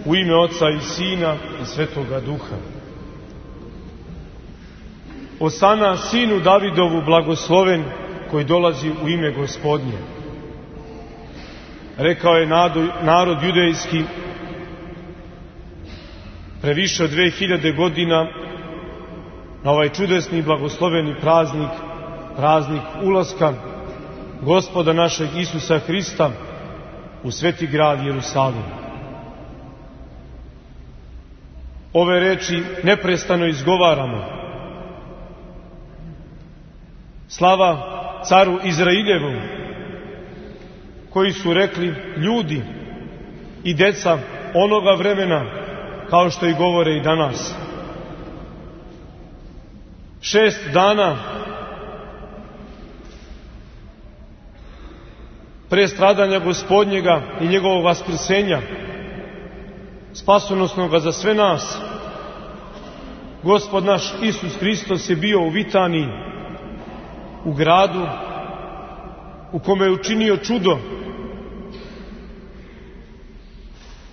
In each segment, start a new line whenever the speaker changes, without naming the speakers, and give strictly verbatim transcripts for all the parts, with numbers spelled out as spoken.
U ime Oca i Sina i Svetoga Duha. Osana sinu Davidovu blagosloven koji dolazi u ime Gospodnje. Rekao je narod judejski pre više od dve hiljade godina na ovaj čudesni i blagosloveni praznik, praznik ulaska Gospoda našeg Isusa Hrista u sveti grad Jerusalim. Ove reči neprestano izgovaramo. Slava caru Izrailjevu, koji su rekli ljudi i deca onoga vremena, kao što i govore i danas. Šest dana pre stradanja Gospodnjega i njegovog vaskrsenja, spasonosnoga za sve nas, Gospod naš Isus Hristos je bio u Vitaniji, u gradu u kome je učinio čudo,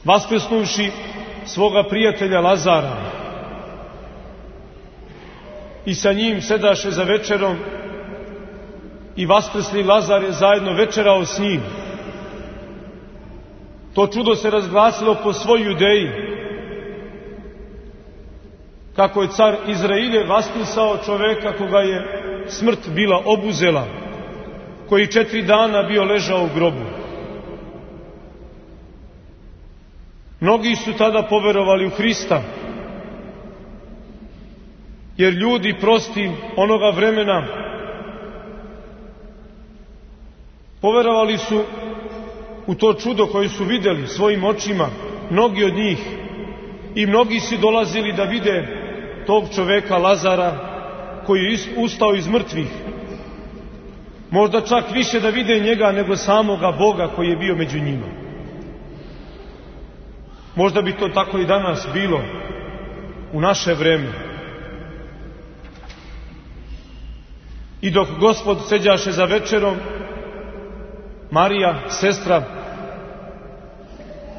vaskrsnuvši svoga prijatelja Lazara, i sa njim sedaše za večerom, i vaskrsli Lazar je zajedno večerao s njim. To čudo se razglasilo po svoj Judeji, kako je car Izrailje vaskrsao čoveka koga je smrt bila obuzela, koji četiri dana bio ležao u grobu. Mnogi su tada poverovali u Hrista, jer ljudi prosti onoga vremena poverovali su u to čudo koje su vidjeli svojim očima, mnogi od njih, i mnogi su dolazili da vide tog čoveka Lazara koji je ustao iz mrtvih. Možda čak više da vide njega nego samoga Boga koji je bio među njima. Možda bi to tako i danas bilo u naše vreme. I dok Gospod seđaše za večerom, Marija, sestra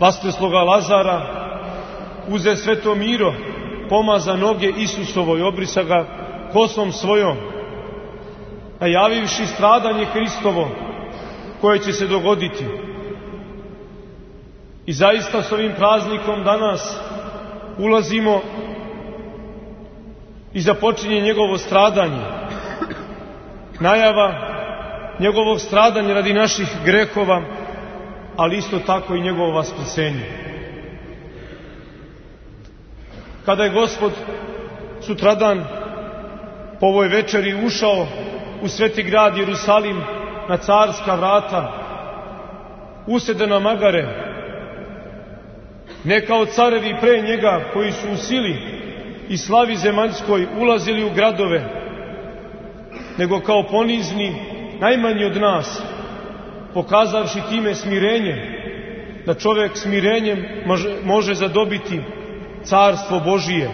vaskrsloga Lazara, uze sveto miro, pomaza noge Isusovoj, obrisa ga kosom svojom, najavivši stradanje Hristovo koje će se dogoditi. I zaista s ovim praznikom danas ulazimo i započinje njegovo stradanje. Najava njegovog stradanja radi naših grehova, ali isto tako i njegovo vaskrsenje. Kada je Gospod sutradan po ovoj večeri ušao u sveti grad Jerusalim na carska vrata, usede na magare, ne kao carevi pre njega koji su u sili i slavi zemaljskoj ulazili u gradove, nego kao ponizni, najmanji od nas, pokazavši time smirenje, da čovjek smirenjem može, može zadobiti carstvo Božije.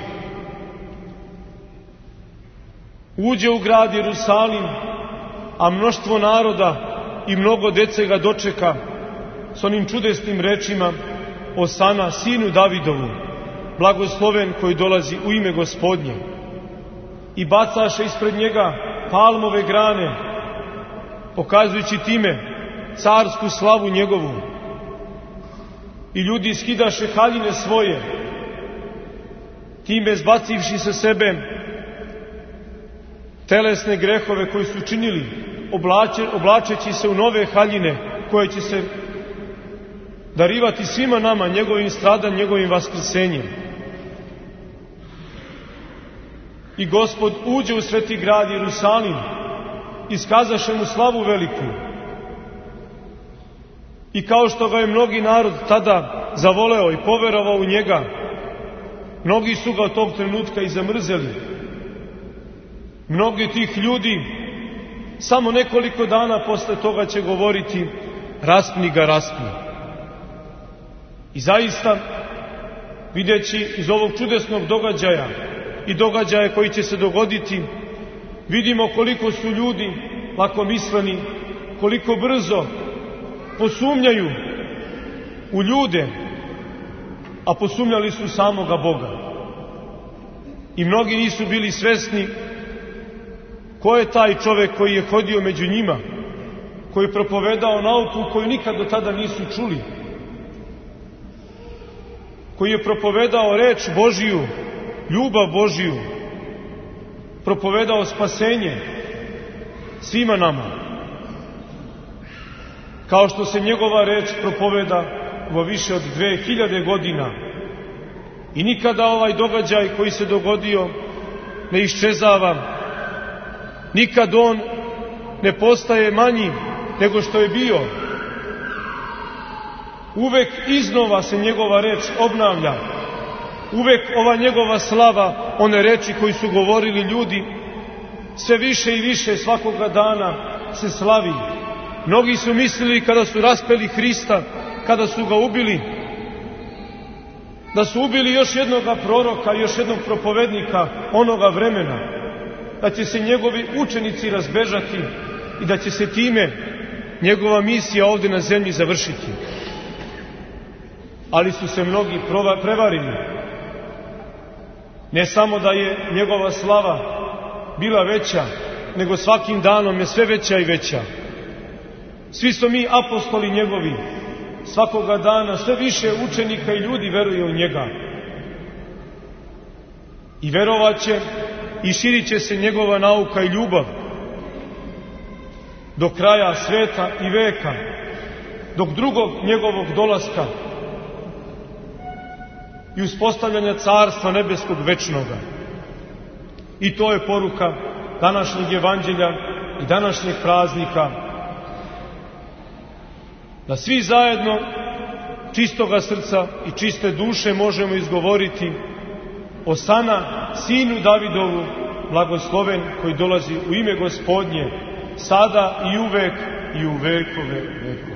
Uđe u grad Jerusalim, a mnoštvo naroda i mnogo dece ga dočeka s onim čudesnim rečima: Osana sinu Davidovu, blagosloven koji dolazi u ime Gospodnje. I bacaše ispred njega palmove grane, pokazujući time carsku slavu njegovu. I ljudi skidaše haljine svoje, time zbacivši sa sebe telesne grehove koji su činili, oblače, oblačeći se u nove haljine koje će se darivati svima nama njegovim stradanjem, njegovim vaskrsenjem. I Gospod uđe u sveti grad Jerusalim, iskazaše mu slavu veliku. I kao što ga je mnogi narod tada zavoleo i poverovao u njega, mnogi su ga od tog trenutka i zamrzeli. Mnogi tih ljudi samo nekoliko dana posle toga će govoriti: raspni ga, raspni. I zaista, videći iz ovog čudesnog događaja i događaja koji će se dogoditi, vidimo koliko su ljudi lakomisleni, koliko brzo posumnjaju u ljude, a posumnjali su samoga Boga. I mnogi nisu bili svesni ko je taj čovek koji je hodio među njima, koji je propovedao nauku koju nikad do tada nisu čuli, koji je propovedao reč Božiju, ljubav Božiju, propovedao spasenje svima nama. Kao što se njegova reč propoveda vo više od dve hiljade godina i nikada ovaj događaj koji se dogodio ne iščezava, nikad on ne postaje manji nego što je bio. Uvek iznova se njegova reč obnavlja, uvek ova njegova slava, one reči koji su govorili ljudi, sve više i više svakoga dana se slavi. Mnogi su mislili kada su raspeli Hrista, kada su ga ubili, da su ubili još jednoga proroka, još jednog propovednika onoga vremena, da će se njegovi učenici razbežati i da će se time njegova misija ovdje na zemlji završiti. Ali su se mnogi prevarili. Ne samo da je njegova slava bila veća, nego svakim danom je sve veća i veća. Svi smo mi apostoli njegovi. Svakoga dana sve više učenika i ljudi veruje u njega. I verovaće i širit će se njegova nauka i ljubav do kraja sveta i veka, dok drugog njegovog dolaska i uspostavljanja carstva nebeskog večnoga. I to je poruka današnjeg evanđelja i današnjeg praznika, da svi zajedno čistoga srca i čiste duše možemo izgovoriti: Osana, sinu Davidovu, blagosloven koji dolazi u ime Gospodnje, sada i uvek i u vekove vekova.